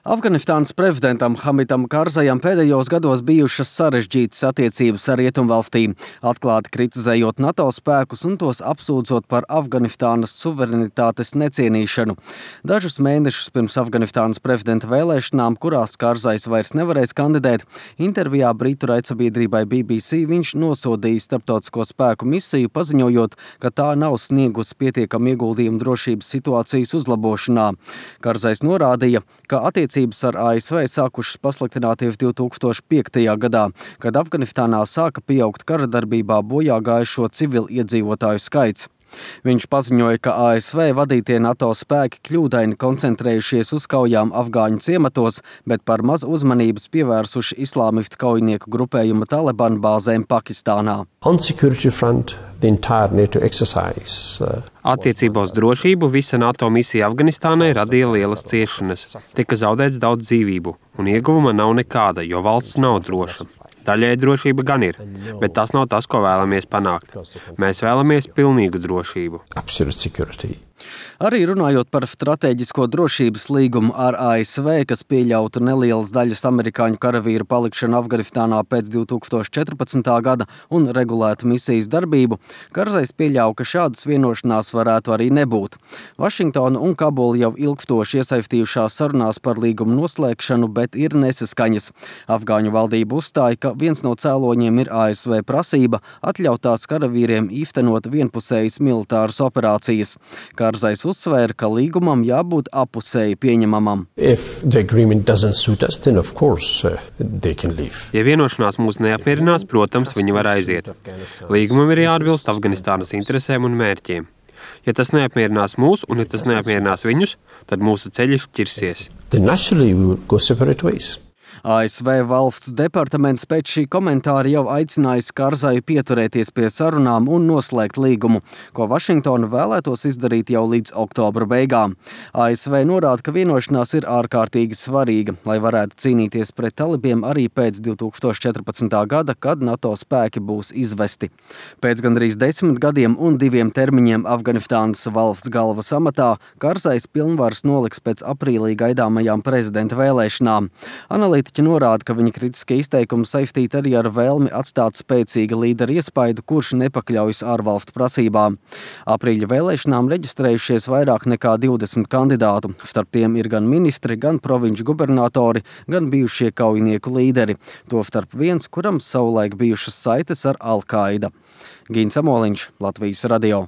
Afganistānas prezidentam Hamidam Karzajam pēdējos gados bijušas sarežģītas attiecības ar Rietumvalstīm, atklāti kritizējot NATO spēkus un tos apsūdzot par Afganistānas suverenitātes necienīšanu. Dažus mēnešus pirms Afganistānas prezidenta vēlēšanām, kurās Karzajs vairs nevarēs kandidēt, intervijā britu raidsabiedrībai BBC viņš nosodīja starptautisko spēku misiju, paziņojot, ka tā nav sniegusi pietiekamu ieguldījumu drošības situācijas uzlabošanā. Karzajs norādīja, ka attiecības ar ASV sākušas pasliktināties 2005. gadā, kad Afganistānā sāka pieaugt kara darbībā bojā gājušo civiliedzīvotāju skaits. Viņš paziņoja, ka ASV vadītie NATO spēki kļūdaini koncentrējušies uz kaujām afgāņu ciematos, bet par maz uzmanības pievērsuši islāmistu kaujinieku grupējuma Taliban bāzēm Pakistānā. Attiecībā uz drošību visa NATO misija Afganistānai radīja lielas ciešanas. Tika zaudēts daudz dzīvību, un ieguvuma nav nekāda, jo valsts nav droša. Daļēji drošība gan ir, bet tas nav tas, ko vēlamies panākt. Mēs vēlamies pilnīgu drošību. Arī runājot par stratēģisko drošības līgumu ar ASV, kas pieļautu nelielas daļas amerikāņu karavīru palikšanu Afganistānā pēc 2014. gada un regulētu misijas darbību, Karzajs pieļauj, ka šādas vienošanās varētu arī nebūt. Vašingtona un Kabula jau ilgstoši iesaistījušās sarunās par līgumu noslēgšanu, bet ir nesaskaņas. Afgāņu valdība uzstāja, ka viens no cēloņiem ir ASV prasība atļaut tās karavīriem īstenot vienpusējas militāras operācijas. Karzajs uzsvēra, ka līgumam jābūt apusēji pieņemamam. Ja vienošanās mūs neapmierinās, protams, viņi var aiziet. Līgumam ir jāatbilst Afganistānas interesēm un mērķiem. Ja tas neapmierinās mūs un ja tas neapmierinās viņus, tad mūsu ceļi šķirsies. ASV valsts departaments pēc šī komentāra jau aicinājis Karzaju pieturēties pie sarunām un noslēgt līgumu, ko Vašingtona vēlētos izdarīt jau līdz oktobra beigām. ASV norāda, ka vienošanās ir ārkārtīgi svarīga, lai varētu cīnīties pret talibiem arī pēc 2014. gada, kad NATO spēki būs izvesti. Pēc gandrīz 10 gadiem un 2 termiņiem Afganistānas valsts galvas amatā Karzajs pilnvaras noliks pēc aprīlī gaidāmajām prezidenta vēlēšanām. Analītiķi norāda, ka viņa kritiskie izteikumi saistīti arī ar vēlmi atstāt spēcīga līdera iespaidu, kurš nepakļaujas ārvalstu prasībām. Aprīļa vēlēšanām reģistrējušies vairāk nekā 20 kandidātu. Starp tiem ir gan ministri, gan provinču gubernatori, gan bijušie kaujinieku līderi. Tostarp viens, kuram savulaik bijušas saites ar Al-Qaida. Gīns Amoliņš, Latvijas radio.